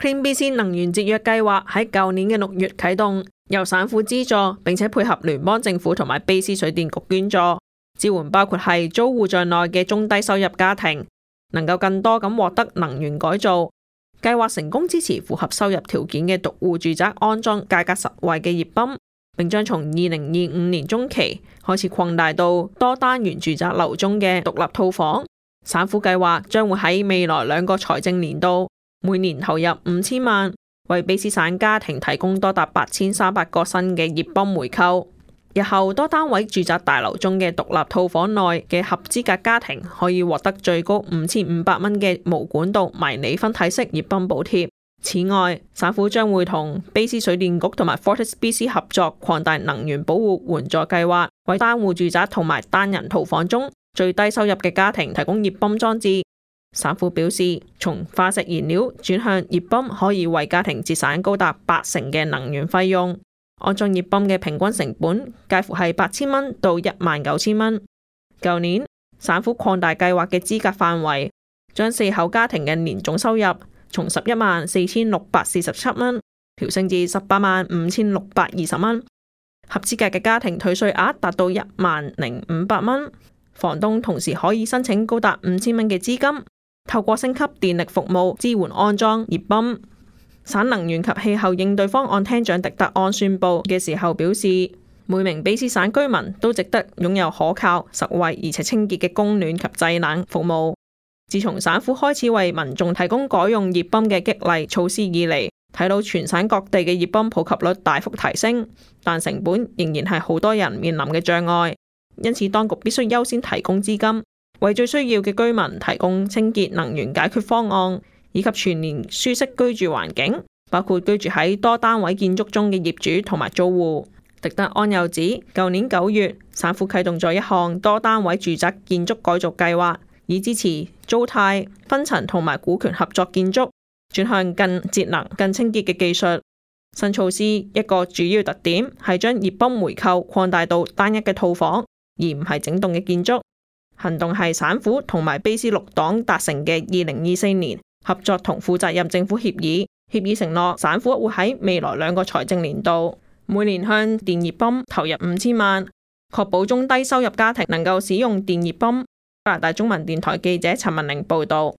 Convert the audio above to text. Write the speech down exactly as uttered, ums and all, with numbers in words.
Clean B C 能源節約計劃喺舊年嘅六月啟動，由省府資助，並且配合聯邦政府同埋卑斯水電局捐助，支援包括係租戶在內嘅中低收入家庭，能夠更多咁獲得能源改造。計劃成功支持符合收入條件嘅獨戶住宅安裝價格實惠嘅熱泵，並將從二零二五年中期開始擴大到多單元住宅樓中嘅獨立套房。省府計劃將會喺未來兩個財政年度每年投入五千萬，為卑斯省家庭提供多達八千三百個新嘅熱泵回購。日後多單位住宅大樓中嘅獨立套房內嘅合資格家庭可以獲得最高五千五百蚊嘅無管道迷你分體式熱泵補貼。此外，省府將會同卑斯水電局同埋 FortisBC 合作擴大能源保護援助計劃，為單戶住宅同埋單人套房中最低收入嘅家庭提供熱泵裝置。省府表示，從化石燃料轉向熱泵可以為家庭節省高達八成嘅能源費用。安裝熱泵嘅平均成本介乎係八千蚊到一萬九千蚊。舊年省府擴大計劃嘅資格範圍，將四口家庭嘅年總收入從十一萬四千六百四十七蚊調升至十八萬五千六百二十蚊。合資格嘅家庭退稅額達到一萬零五百蚊。房東同時可以申請高達五千蚊嘅資金，透過升級電力服務支援安裝熱泵。省能源及氣候應對方案廳長狄德安宣布嘅時候表示，每名卑斯省居民都值得擁有可靠、實惠而且清潔嘅供暖及製冷服務。自從省府開始為民眾提供改用熱泵嘅激勵措施以嚟，睇到全省各地嘅熱泵普及率大幅提升，但成本仍然係好多人面臨嘅障礙。因此，當局必須優先提供資金，為最需要嘅居民提供清潔能源解決方案，以及全年舒適居住環境，包括居住喺多單位建築中嘅業主同埋租戶。狄德安又指，舊年九月，省府啟動咗一項多單位住宅建築改造計劃，以支持租貸、分層同埋股權合作建築，轉向更節能、更清潔嘅技術。新措施一個主要特點係將熱泵回購擴大到單一嘅套房，而唔係整棟嘅建築。行動係省府同埋卑斯綠黨達成嘅二零二四年合作同負責任政府協議，協議承諾省府會喺未來兩個財政年度每年向電熱泵投入五千萬，確保中低收入家庭能夠使用電熱泵。加拿大中文電台記者陳文玲報道。